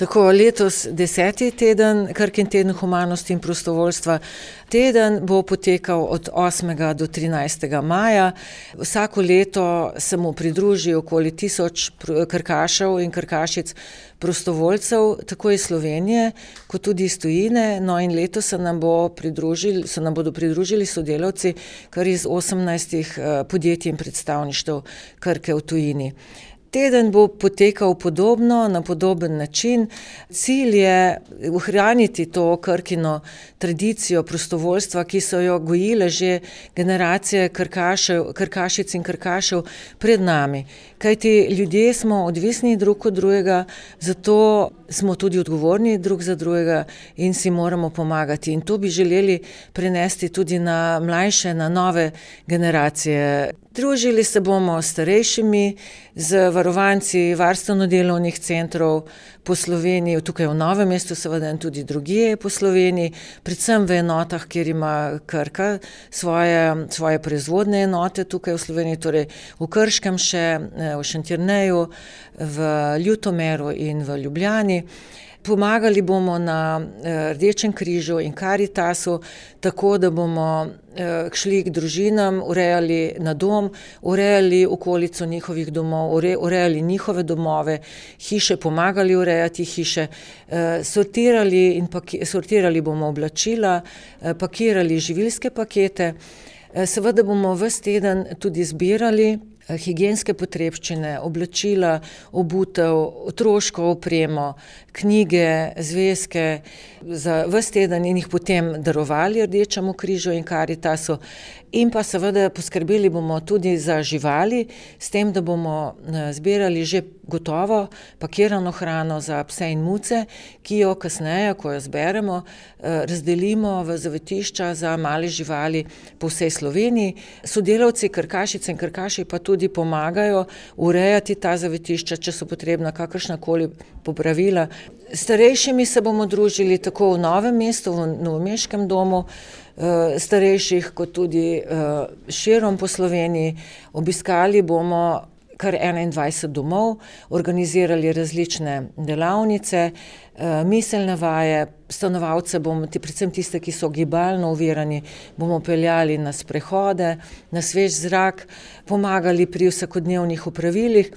Tako, letos 10. teden, Krkin teden humanosti in prostovoljstva. Teden bo potekal od 8. do 13. maja. Vsako leto se mu pridruži okoli 1000 krkašev in krkašic prostovoljcev, tako iz Slovenije, kot tudi iz tujine. No, in letos se nam bodo pridružili sodelavci kar iz 18 podjetij in predstavništev Krke v tujini. Teden bo potekal podobno, na podoben način. Cilj je ohraniti to Krkino tradicijo prostovoljstva, ki so jo gojile že generacije krkašic in krkašev pred nami. Kajti ljudje smo odvisni drug od drugega, zato smo tudi odgovorni drug za drugega in si moramo pomagati. In to bi želeli prenesti tudi na mlajše, na nove generacije. Družili se bomo s starejšimi, z varovanci varstveno-delovnih centrov po Sloveniji, tukaj v Novem mestu seveda in tudi drugje po Sloveniji, predvsem v enotah, kjer ima Krka svoje proizvodne enote tukaj v Sloveniji, torej v Krškem še, v Šentjerneju, v Ljutomeru in v Ljubljani. Pomagali bomo na Rdečem križu in Karitasu, tako da bomo šli k družinam, urejali na dom, urejali okolico njihovih domov, urejali njihove domove, hiše, pomagali urejati hiše, sortirali bomo oblačila, pakirali živilske pakete. Seveda bomo ves teden tudi zbirali higienske potrebščine, oblačila, obutev, otroško opremo, knjige, zvezke za ves teden in jih potem darovali Rdečemu križu in Karitasu. In pa seveda poskrbeli bomo tudi za živali, s tem, da bomo zbirali že gotovo pakirano hrano za pse in muce, ki jo kasneje, ko jo zberemo, razdelimo v zavetišča za male živali po vsej Sloveniji. Sodelavci krkašice in krkaši pa tudi pomagajo urejati ta zavetišča, če so potrebna kakršnakoli popravila. Starejšimi se bomo družili tako v Novem mestu, v novomeškem domu starejših, kot tudi širom po Sloveniji. Obiskali bomo kar 21 domov, organizirali različne delavnice, miselne vaje, stanovalce bomo, predvsem tiste, ki so gibalno ovirani, bomo peljali na sprehode, na svež zrak, pomagali pri vsakodnevnih opravilih.